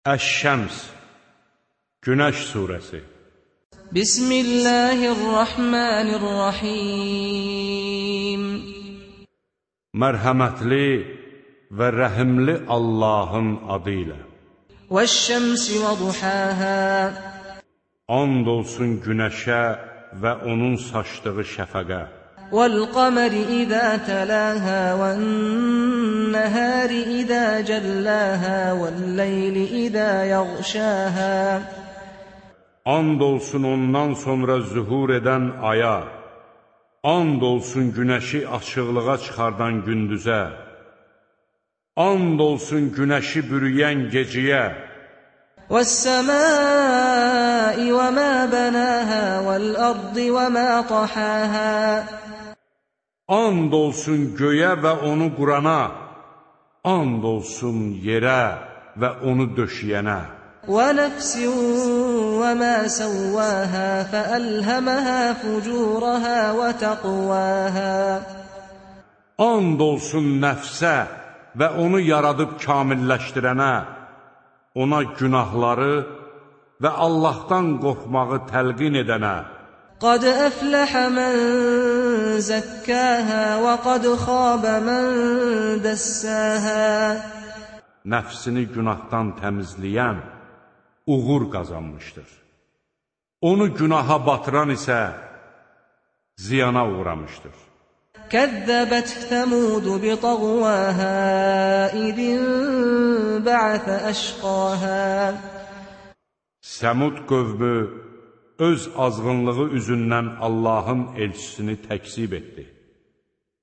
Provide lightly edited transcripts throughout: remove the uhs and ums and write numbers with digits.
Əş-Şəms, Günəş surəsi. Bismillahirrahmanirrahim. Mərhəmətli və rəhimli Allahın adı ilə. Vəş-şəmsi və duhâhâ. And olsun günəşə və onun saçdığı şəfəqə. Vəl-qəmeri izə təlâhâ vən-nəhâri izə cəllâhâ vəl-leyli izə yəğşâhâ. And olsun ondan sonra zühur edən aya. And olsun günəşi açıqlığa çıxardan gündüzə. And olsun günəşi bürüyən geciyə. Vəs-səmâi və mə bənâhâ vəl-ərdi və mə tahâhâ. And olsun göyə və onu qurana. And olsun yerə və onu döşəyənə. وَنَفْسٍ وَمَا سَوَّاهَا فَأَلْهَمَهَا فُجُورَهَا وَتَقْوَاهَا. And olsun nəfsə və onu yaradıb kamilləşdirənə, ona günahları və Allahdan qorxmağı təlqin edənə. قَدْ أَفْلَحَ مَنْ زَكَّاهَا وَقَدْ خَابَ مَنْ دَسَّاهَا. Nəfsini günahdan təmizləyən uğur qazanmışdır. Onu günaha batıran isə ziyana uğramışdır. كَذَّبَتْ ثَمُودُ بِطَغْوَاهَا إِذِ انبَعَثَ أَشْقَاهَا. Səmud qövmü öz azğınlığı üzündən Allahın elçisini təkzib etdi.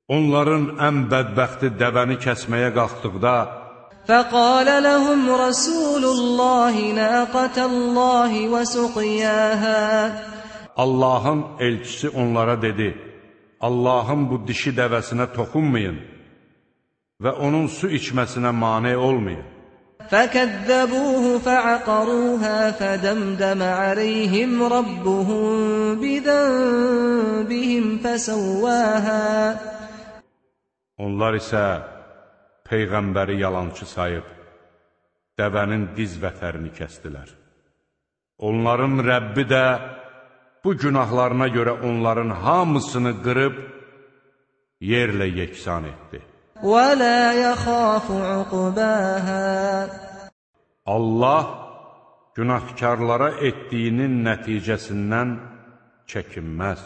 Onların ən bədbəxti dəvəni kəsməyə qalxdıqda فَقَالَ لَهُمْ رَسُولُ اللّٰهِ نَاقَةَ اللّٰهِ وَسُقْيَاهَا. Allahın elçisi onlara dedi, Allahın bu dişi dəvəsinə toxunmayın və onun su içməsinə mane olmayın. فَكَذَّبُوهُ فَعَقَرُوهَا فَدَمْدَمَ عَلَيْهِمْ رَبُّهُمْ بِذَنبِهِمْ فَسَوَّاهَا. Onlar isə Peyğəmbəri yalançı sayıb, dəvənin diz vətərini kəsdilər. Onların Rəbbi də bu günahlarına görə onların hamısını qırıb, yerlə yeksan etdi. وَلَا يَخَافُ عُقْبَاهَا. Allah günahkarlara etdiyinin nəticəsindən çəkinməz.